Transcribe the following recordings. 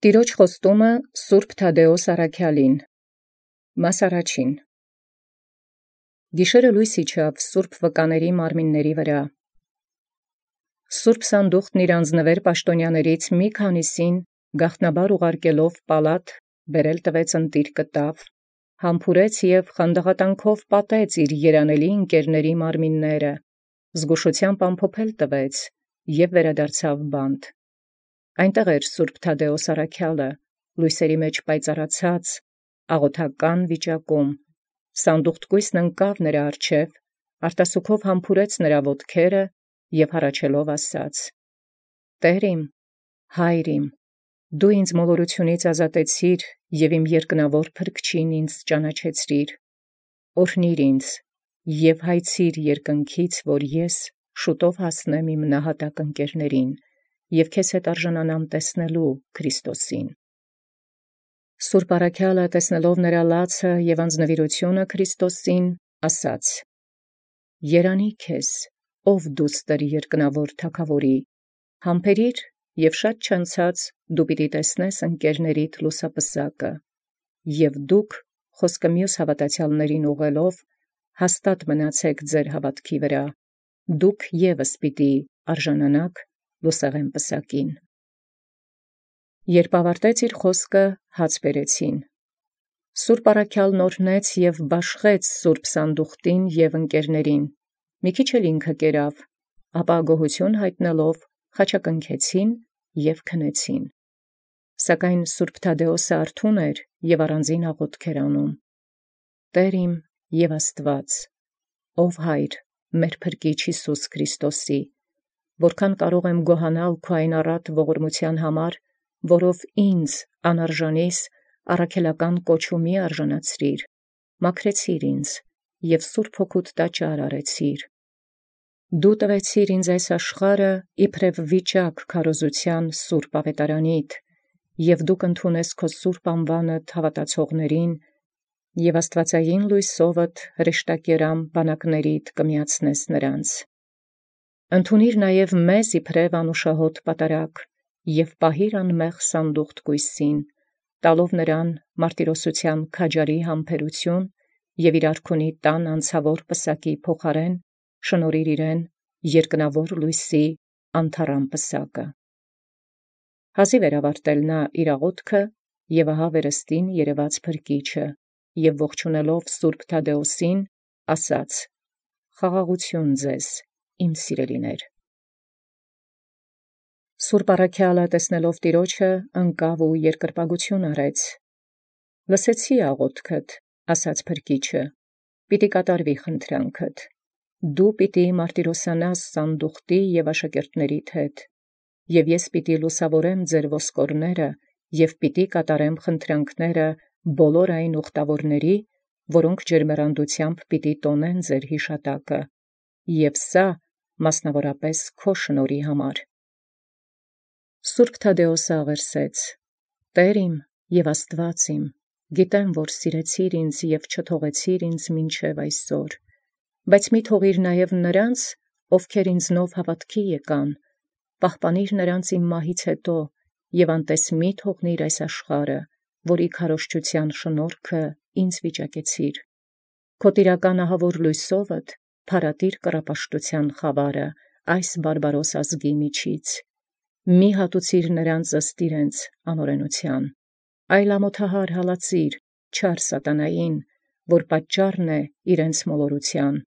Տիրոջ խոստումը Սուրբ Թադէոս առաքյալին։ Մաս առաջին։ Գիշերը լույս իջավ Սուրբ վկաների մարմինների վրա։ Սուրբ Սանդուղքն իր անձնվեր պաշտոնյաներից մի քանիսին գաղտնաբար ուղարկելով պալատ բերել տվեց ընտիր կտավ, համբուրեց և խանդաղատանքով պատեց իր երանելի ընկերների մարմինները, զգուշությամբ ամփոփել տվեց և վերադարձավ բանտ։ Այնտեղ էր Սուրբ Թադէոս առաքյալը, լույսերի մեջ պայծառացած, աղոթական վիճակում, սանդուղթկույսն ընկավ նրա առջև, արտասուքով համբուրեց նրա ոտքերը և հառաչելով ասաց. «Տեր իմ, Հայր իմ, դու ինձ մոլորությունից ազատեցիր և իմ երկնավոր փրկչին ինձ ճանաչեցրիր, օրհնիր ինձ և հայցիր երկնքից, որ ես շուտով հասնեմ իմ նահատակ ընկերներին և քեզ հետ արժանանամ տեսնելու Քրիստոսին»։ Սուրբ առաքյալը տեսնելով նրա լացը և անձնվիրությունը Քրիստոսին, ասաց. «Երանի քեզ, ով դուստր երկնավոր թագաւորի, համբերիր և շատ չանցած դու պիտի տեսնես ընկերներիդ լուսապսակը, և դուք խոսքը մյուս հավատացյալներին ուղղելով հաստատ մնացեք ձեր հավատքի վրա, դուք ևս պիտի արժանանաք լուսեղեն պսակին»։ Երբ ավարտեց իր խոսքը, հաց բերեցին։ Սուրբ առաքյալն օրհնեց և բաշխեց Սուրբ Սանդուղքին և ընկերներին, մի քիչ էլ ինքը կերավ, ապա գոհություն հայտնելով խաչակնքեցին և քնեցին։ Սակայն Սուրբ Թադէոսը արթուն էր և առանձին աղոթք էր անում. «Տեր իմ և Աստված, ով Հայր մեր Փրկիչ Յիսուս Քրիստոսի, որքան կարող եմ գոհանալ քո այն առատ ողորմության համար, որով ինձ անարժանիս առաքելական կոչումի արժանացրիր, մաքրեցիր ինձ և Սուրբ Հոգուդ տաճար արեցիր։ Դու տվեցիր ինձ այս աշխարհը իբրև վիճակ քարոզության սուրբ ավետարանիդ, և դու կընդունես քո սուրբ անվանդ հավատացողներին և աստվածային լույսովդ հրեշտակերամ բանակներիդ կմիացնես նրանց։ Ընդունիր նաև մեզ իբրև անուշահոտ պատարագ և պահիր անմեղ սանդուղթ կույսին, տալով նրան մարտիրոսության քաջարի համբերություն և իր արքունի տան անցավոր պսակի փոխարեն շնորհիր իրեն երկնավոր լույսի անթառամ պսակը»։ Հազիվ էր ավարտել նա իր աղոթքը, և ահա վերստին երևաց Փրկիչը, և ողջունելով Սուրբ Թադէոսին, ասաց. «Խաղաղություն ձեզ, իմ սիրելիներ»։ Սուրբ առաքյալը տեսնելով Տիրոջը, ընկավ ու երկրպագություն արեց։ «Լսեցի աղոթքդ, ասաց Փրկիչը, պիտի կատարվի խնդրանքդ։ Դու պիտի մարտիրոսանաս սանդուղթի և աշակերտներիդ հետ, և ես պիտի լուսավորեմ ձեր ոսկորները և պիտի կատարեմ խնդրանքները բոլոր այն ուխտավորների, որոնք ջերմեռանդությամբ պիտի տոնեն ձեր հիշատակը, և սա մասնավորապես քո շնորհի համար»։ Սուրբ Թադէոսը աղերսեց. «Տեր իմ և Աստված իմ, գիտեմ, որ սիրեցիր ինձ և չթողեցիր ինձ մինչև այսօր, բայց մի թողիր նաև նրանց, ովքեր ինձնով հավատքի եկան, պահպանիր նրանց իմ մահից հետո և անտես մի թողնիր այս աշխարհը, որի քարոզչության շնորհքը ինձ վիճակեցիր։ Քո տիրական ահավոր լույսովդ փարատիր կռապաշտության խավարը այս բարբարոս ազգի միջից։ Մի հատուցիր նրանց ըստ իրենց անօրենության, այլ ամոթահար հալածիր չար սատանային, որ պատճառն է իրենց մոլորության,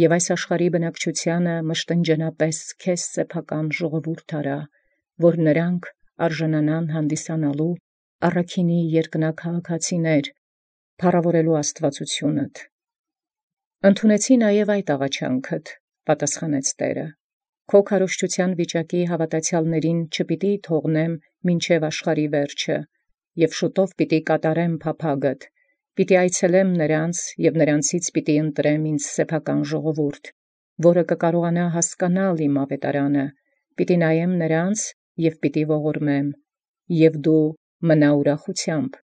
և այս աշխարհի բնակչությանը մշտնջենապես քեզ սեփական ժողովուրդ արա, որ նրանք արժանանան հանդիսանալու առաքինի երկնաքաղաքացիներ, փառավորելու աստվածությունդ»։ «Ընդունեցի նաև այդ աղաչանքդ», պատասխանեց Տերը, «քո քարոզչության վիճակի հավատացյալներին չպիտի թողնեմ մինչև աշխարհի վերջը, և շուտով պիտի կատարեմ փափագդ, պիտի այցելեմ նրանց և նրանցից պիտի ընտրեմ ինձ սեփական ժողովուրդ, որը կկարողանա հասկանալ իմ ավետարանը, պիտի նայեմ նրանց և պիտի ողորմեմ, և դու մնա ուրախությամբ»։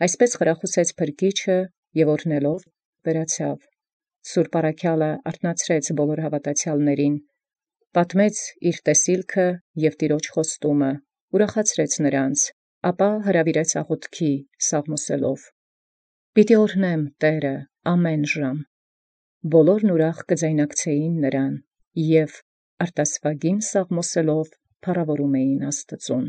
Այսպես խրախուսեց Փրկիչը և օրհնելով վերացավ։ Սուրբ առաքյալը արթնացրեց բոլոր հավատացյալներին, պատմեց իր տեսիլքը և Տիրոջ խոստումը, ուրախացրեց նրանց, ապա հրավիրեց աղոթքի սաղմոսելով. «Պիտի օրհնեմ Տէրը ամեն ժամ»։ Բոլորն ուրախ կձայնակցեին նրան, և արտասուագին սաղմոսելով փառաւորում էին Աստուծոյ։